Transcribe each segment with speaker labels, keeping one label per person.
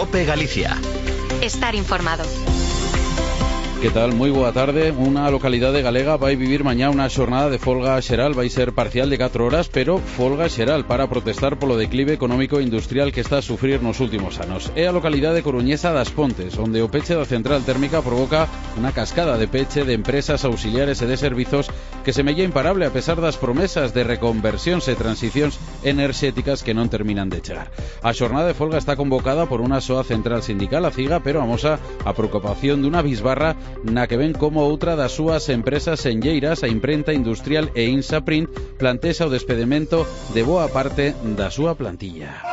Speaker 1: COPE Galicia.
Speaker 2: Estar informado.
Speaker 3: Que tal? Moi boa tarde. Unha localidade galega vai vivir mañá unha xornada de folga xeral. Vai ser parcial de 4 horas, pero folga xeral para protestar polo declive económico e industrial que está a sufrir nos últimos anos. É a localidade coruñesa das Pontes, onde o peche da central térmica provoca unha cascada de peche de empresas auxiliares e de servizos que semella imparable a pesar das promesas de reconversións e transicións enerxéticas que non terminan de chegar. A xornada de folga está convocada por unha soa central sindical, a CIGA, pero amosa a preocupación dunha bisbarra na que ven como outra das súas empresas enlleiras, a imprenta industrial e Insaprint, plantexa o despedimento de boa parte da súa plantilla.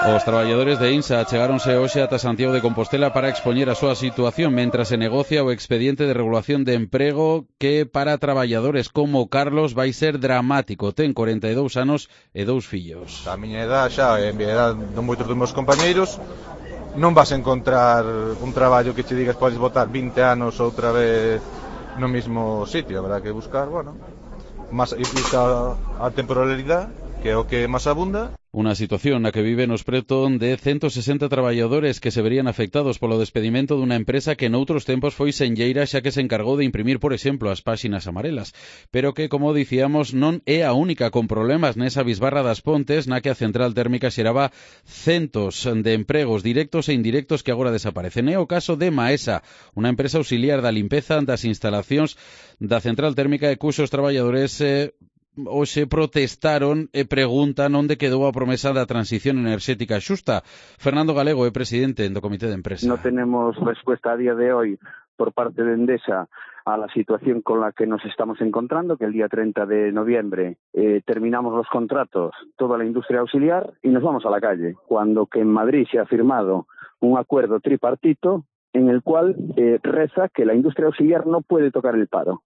Speaker 3: Os traballadores de INSA chegáronse hoxe ata Santiago de Compostela para expoñer a súa situación mentras se negocia o expediente de regulación de emprego que para traballadores como Carlos vai ser dramático. Ten 42 anos e 2 fillos.
Speaker 4: A miña edad xa, en miña edad non moitos dos meus compañeiros, non vas a encontrar un traballo que che digas podes botar 20 anos outra vez no mesmo sitio. Habrá que buscar, bueno, máis a temporalidade, que é o que máis abunda.
Speaker 3: Unha situación na que viven os preto de 160 traballadores que se verían afectados polo despedimento dunha empresa que noutros tempos foi senlleira xa que se encargou de imprimir, por exemplo, as páxinas amarelas, pero que, como dicíamos, non é a única con problemas nesa bisbarra das Pontes na que a central térmica xeraba centos de empregos directos e indirectos que agora desaparecen. É o caso de Maesa, unha empresa auxiliar da limpeza das instalacións da central térmica e cuxos traballadores hoxe protestaron e preguntan onde quedou a promesa da transición enerxética xusta. Fernando Galego é presidente do Comité de Empresa.
Speaker 5: No tenemos respuesta a día de hoy por parte de Endesa a la situación con la que nos estamos encontrando, que el día 30 de noviembre terminamos los contratos, toda la industria auxiliar, y nos vamos a la calle, cuando que en Madrid se ha firmado un acuerdo tripartito en el cual reza que la industria auxiliar no puede tocar el paro.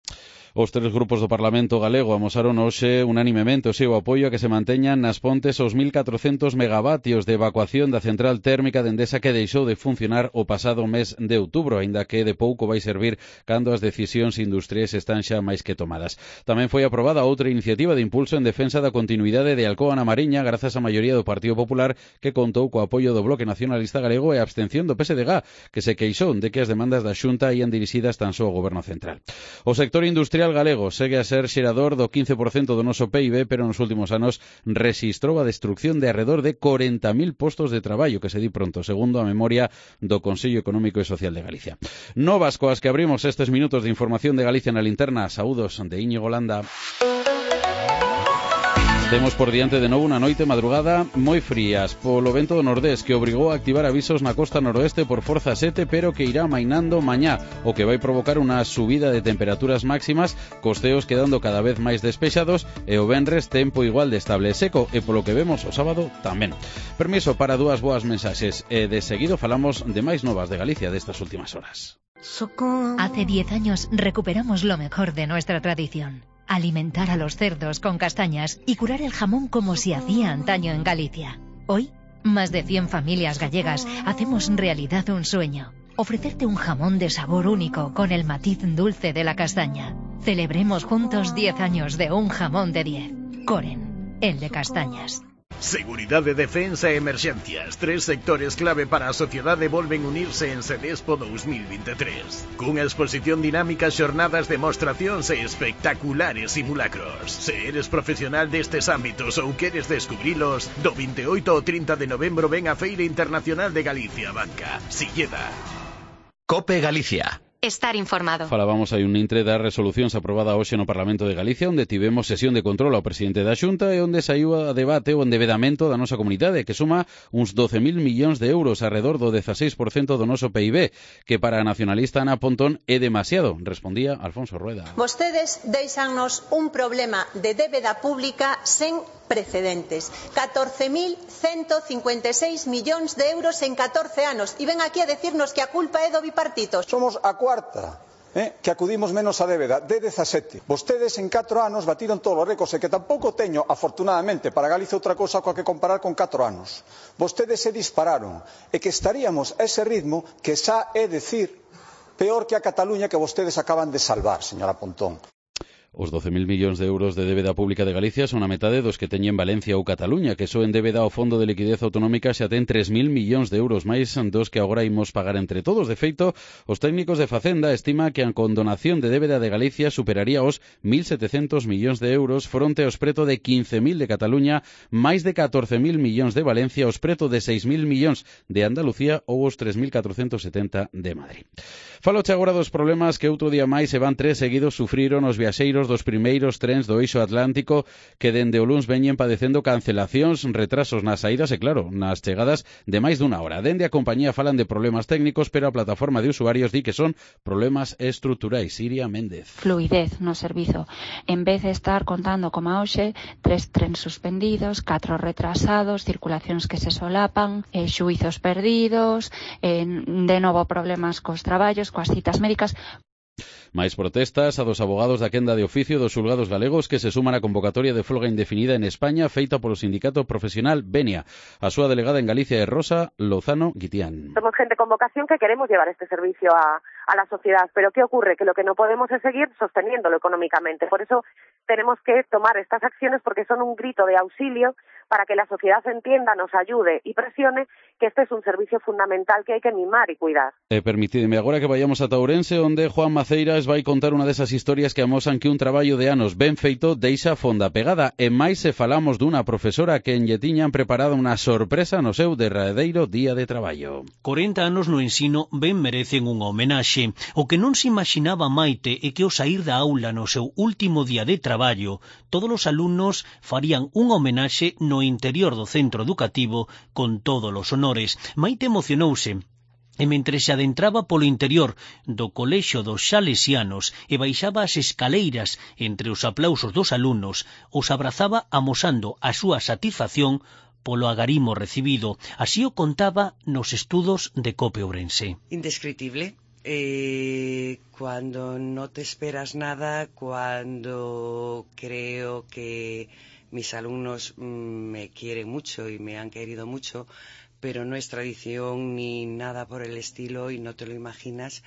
Speaker 3: Os tres grupos do Parlamento galego amosaron hoxe unánimemente o seu apoio a que se manteñan nas Pontes os 1.400 megavatios de evacuación da central térmica de Endesa que deixou de funcionar o pasado mes de outubro, aínda que de pouco vai servir cando as decisións industriais están xa máis que tomadas. Tamén foi aprobada outra iniciativa de impulso en defensa da continuidade de Alcoa na Mariña grazas á maioría do Partido Popular que contou co apoio do Bloque Nacionalista Galego e a abstención do PSDG, que se queixou de que as demandas da Xunta ían dirixidas tan só ao Goberno Central. O sector industrial galego segue a ser xerador do 15% do noso PIB, pero nos últimos anos rexistrou a destrucción de arredor de 40.000 postos de traballo, que se di pronto, segundo a memoria do Consello Económico e Social de Galicia. Novas coas que abrimos estes minutos de información de Galicia na linterna. Saúdos de Íñigo Landa. Temos por diante de novo unha noite madrugada moi frías polo vento do nordés que obrigou a activar avisos na costa noroeste por forza 7, pero que irá mainando mañá, o que vai provocar unha subida de temperaturas máximas, costeos quedando cada vez máis despexados e o venres tempo igual de estable e seco, e polo que vemos o sábado tamén. Permiso para dúas boas mensaxes e de seguido falamos de máis novas de Galicia destas últimas horas.
Speaker 6: Hace 10 años recuperamos lo mejor de nuestra tradición. Alimentar a los cerdos con castañas y curar el jamón como se hacía antaño en Galicia. Hoy, más de 100 familias gallegas hacemos realidad un sueño. Ofrecerte un jamón de sabor único con el matiz dulce de la castaña. Celebremos juntos 10 años de un jamón de 10. Coren, el de castañas.
Speaker 1: Seguridade, defensa e emerxencias, tres sectores clave para a sociedade volven unirse en Sedespo 2023. Cunha exposición dinámica, xornadas, demostracións e espectaculares simulacros. Se eres profesional destes ámbitos ou queres descubrilos, do 28 ao 30 de novembro ven a Feira Internacional de Galicia, Banca, Silleda. COPE Galicia.
Speaker 2: Estar informado.
Speaker 3: Falábamos hai un intre das resolucións aprobada hoxe no Parlamento de Galicia, onde tivemos sesión de control ao presidente da Xunta e onde saiu a debate o endevedamento da nosa comunidade, que suma uns 12.000 millóns de euros, arredor do 16% do noso PIB, que para a nacionalista Ana Pontón é demasiado, respondía Alfonso Rueda.
Speaker 7: Vostedes deixannos un problema de débeda pública sen precedentes. 14.156 millóns de euros en 14 anos. E ven aquí a decirnos que a culpa é do bipartito.
Speaker 8: Somos a cuarta que acudimos menos a débeda de 17. Vostedes en 4 anos batiron todos os récords e que tampouco teño, afortunadamente, para Galicia outra cousa coa que comparar con 4 anos. Vostedes se dispararon e que estaríamos a ese ritmo que xa é decir peor que a Cataluña que vostedes acaban de salvar, señora Pontón.
Speaker 3: Os 12.000 millóns de euros de débeda pública de Galicia son a metade dos que teñen Valencia ou Cataluña, que soen débeda ao Fondo de Liquidez Autonómica xa ten 3.000 millóns de euros máis dos que agora imos pagar entre todos. De feito, os técnicos de Facenda estima que a condonación de débeda de Galicia superaría os 1.700 millóns de euros fronte aos preto de 15.000 de Cataluña, máis de 14.000 millóns de Valencia, os preto de 6.000 millóns de Andalucía ou os 3.470 de Madrid. Faloche agora dos problemas que outro día máis e van 3 seguidos sufriron os viaxeiros dos primeiros trens do eixo atlántico que dende o luns veñen padecendo cancelacións, retrasos nas saídas e, claro, nas chegadas de máis dunha hora. Dende a compañía falan de problemas técnicos, pero a plataforma de usuarios di que son problemas estruturais. Iria Méndez.
Speaker 9: Fluidez no servizo. En vez de estar contando como a hoxe, 3 trens suspendidos, 4 retrasados, circulacións que se solapan, xuizos perdidos, de novo problemas cos traballos, coas citas médicas.
Speaker 3: Máis protestas a dos abogados da quenda de oficio dos xulgados galegos que se suman á convocatoria de folga indefinida en España feita polo sindicato profesional Benia. A súa delegada en Galicia é Rosa Lozano Guitián.
Speaker 10: Somos gente con vocación que queremos llevar este servicio a la sociedad, pero ¿qué ocurre? Que lo que no podemos es seguir sosteniéndolo económicamente. Por eso tenemos que tomar estas acciones porque son un grito de auxilio para que la sociedad entienda, nos ayude y presione que este es un servicio fundamental que hay que mimar y cuidar.
Speaker 3: Permitidme agora que vayamos a Ourense, onde Juan Maceiras vai contar unha desas historias que amosan que un traballo de anos ben feito deixa fonda pegada. E máis se falamos dunha profesora que en lle tiñan preparado unha sorpresa no seu derradeiro día de traballo.
Speaker 11: 40 anos no ensino ben merecen unha homenaxe. O que non se imaginaba Maite é que ao sair da aula no seu último día de traballo, todos os alumnos farían unha homenaxe no interior do centro educativo con todos os honores. Maite emocionouse e mentre se adentraba polo interior do colexio dos Salesianos e baixaba as escaleiras entre os aplausos dos alumnos, os abrazaba amosando a súa satisfacción polo agarimo recibido. Así o contaba nos estudos de COPE Ourense.
Speaker 12: Indescriptible. Cuando no te esperas nada, cuando creo que mis alumnos me quieren mucho y me han querido mucho, pero no es tradición ni nada por el estilo y no te lo imaginas,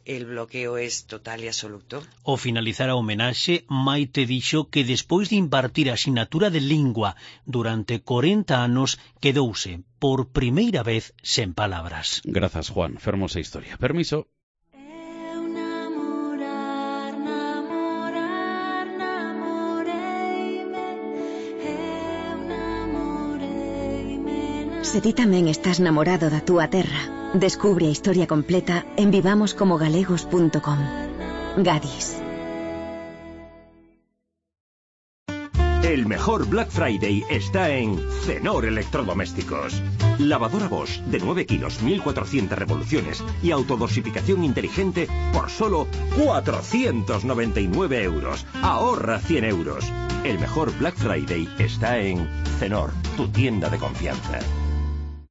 Speaker 12: el bloqueo es total y absoluto.
Speaker 11: Ao finalizar a homenaxe, Maite dixo que despois de impartir a asignatura de lingua durante 40 anos, quedouse por primeira vez sen palabras.
Speaker 3: Grazas, Juan. Fermosa historia. Permiso.
Speaker 13: Se ti tamén estás namorado da túa terra, descubre a historia completa en vivamoscomogalegos.com. Gadis.
Speaker 14: El mejor Black Friday está en Cenor Electrodomésticos. Lavadora Bosch de 9 kilos, 1.400 revoluciones y autodosificación inteligente por solo 499 euros. Ahorra 100 euros. El mejor Black Friday está en Cenor, tu tienda de confianza.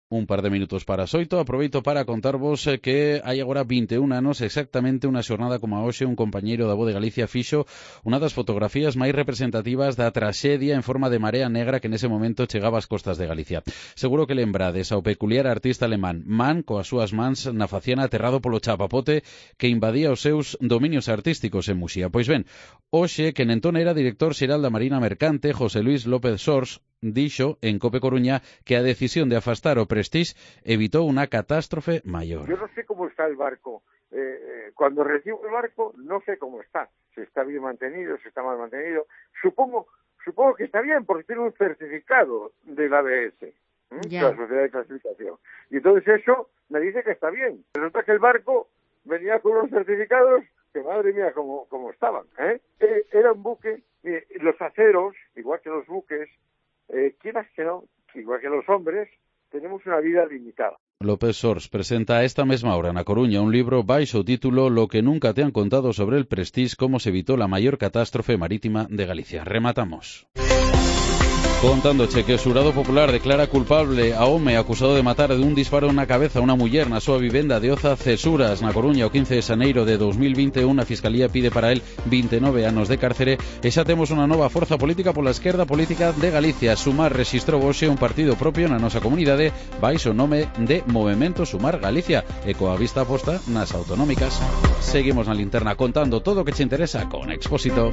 Speaker 3: Un par de minutos para as 8, aproveito para contarvos que hai agora 21 anos, exactamente unha xornada como a hoxe, un compañeiro da Voz de Galicia fixo unha das fotografías máis representativas da traxedia en forma de marea negra que nese momento chegaba ás costas de Galicia. Seguro que lembrades ao peculiar artista alemán Man coas súas mans na faciana aterrado polo chapapote que invadía os seus dominios artísticos en Muxía. Pois ben, hoxe, que entón era director xeral da Marina Mercante, José Luis López Sors, dixo en Cope Coruña que a decisión de afastar o Prestige evitó una catástrofe mayor.
Speaker 15: Yo no sé cómo está el barco. Cuando recibo el barco, no sé cómo está. Si está bien mantenido, si está mal mantenido. Supongo que está bien, porque tiene un certificado del ABS, de la Sociedad de Clasificación. Y entonces eso me dice que está bien. Resulta que el barco venía con unos certificados que, madre mía, cómo estaban. Era un buque, los aceros, igual que los buques, quieras que no, igual que los hombres, tenemos una vida limitada.
Speaker 3: López Sors presenta a esta mesma hora na Coruña un libro baixo o título Lo que nunca te han contado sobre el Prestige, cómo se evitó la mayor catástrofe marítima de Galicia. Rematamos. Contándoche que o xurado popular declara culpable a home acusado de matar de un disparo na cabeza a unha muller na súa vivenda de Oza Cesuras, na Coruña, o 15 de xaneiro de 2021. A Fiscalía pide para él 29 anos de cárcere. E xa temos unha nova forza política pola esquerda política de Galicia. Sumar rexistrou hoxe un partido propio na nosa comunidade baixo o nome de Movemento Sumar Galicia e coa vista posta nas autonómicas. Seguimos na linterna contando todo o que che interesa con Expósito.